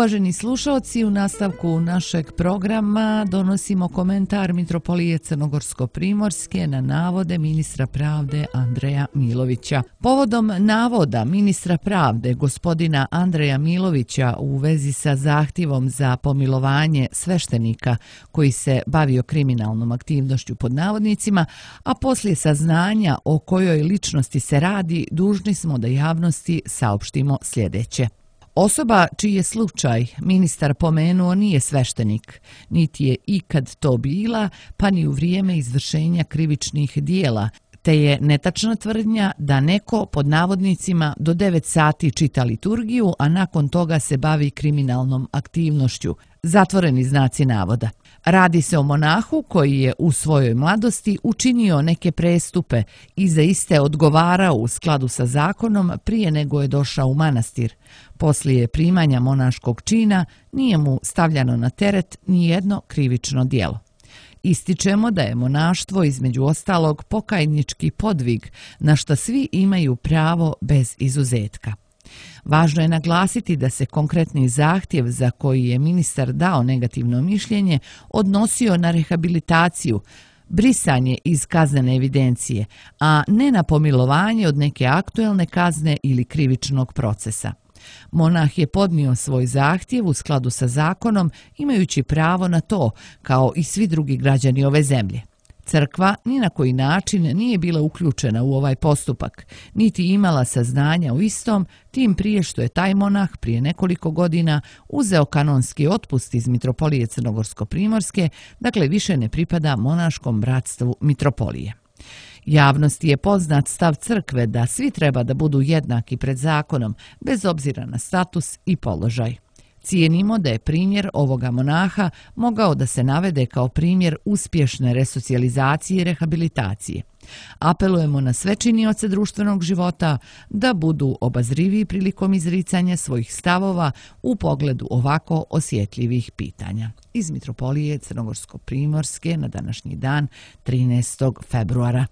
Uvaženi slušalci, u nastavku našeg programa donosimo komentar Mitropolije Crnogorsko-primorske na navode ministra pravde Andreja Milovića. Povodom navoda ministra pravde gospodina Andreja Milovića u vezi sa zahtjevom za pomilovanje sveštenika koji se bavio kriminalnom aktivnošću pod navodnicima, a poslije saznanja o kojoj ličnosti se radi, dužni smo da javnosti saopštimo sljedeće. Osoba čiji je slučaj ministar pomenuo nije sveštenik, niti je ikad to bila, pa ni u vrijeme izvršenja krivičnih dijela, te je netačna tvrdnja da neko pod navodnicima do 9 sati čita liturgiju, a nakon toga se bavi kriminalnom aktivnošću. Zatvoreni znaci navoda. Radi se o monahu koji je u svojoj mladosti učinio neke prestupe i za iste odgovarao u skladu sa zakonom prije nego je došao u manastir. Poslije primanja monaškog čina nije mu stavljano na teret ni jedno krivično djelo. Ističemo da je monaštvo između ostalog pokajnički podvig na što svi imaju pravo bez izuzetka. Važno je naglasiti da se konkretni zahtjev za koji je ministar dao negativno mišljenje odnosio na rehabilitaciju, brisanje iz kaznene evidencije, a ne na pomilovanje od neke aktuelne kazne ili krivičnog procesa. Monah je podnio svoj zahtjev u skladu sa zakonom, imajući pravo na to, kao i svi drugi građani ove zemlje. Crkva ni na koji način nije bila uključena u ovaj postupak, niti imala saznanja o istom, tim prije što je taj monah prije nekoliko godina uzeo kanonski otpust iz Mitropolije Crnogorsko-primorske, dakle više ne pripada monaškom bratstvu Mitropolije. Javnosti je poznat stav crkve da svi treba da budu jednaki pred zakonom, bez obzira na status i položaj. Cijenimo da je primjer ovoga monaha mogao da se navede kao primjer uspješne resocijalizacije i rehabilitacije. Apelujemo na sve činioce društvenog života da budu obazriviji prilikom izricanja svojih stavova u pogledu ovako osjetljivih pitanja. Iz Mitropolije Crnogorsko-primorske na današnji dan 13. februara.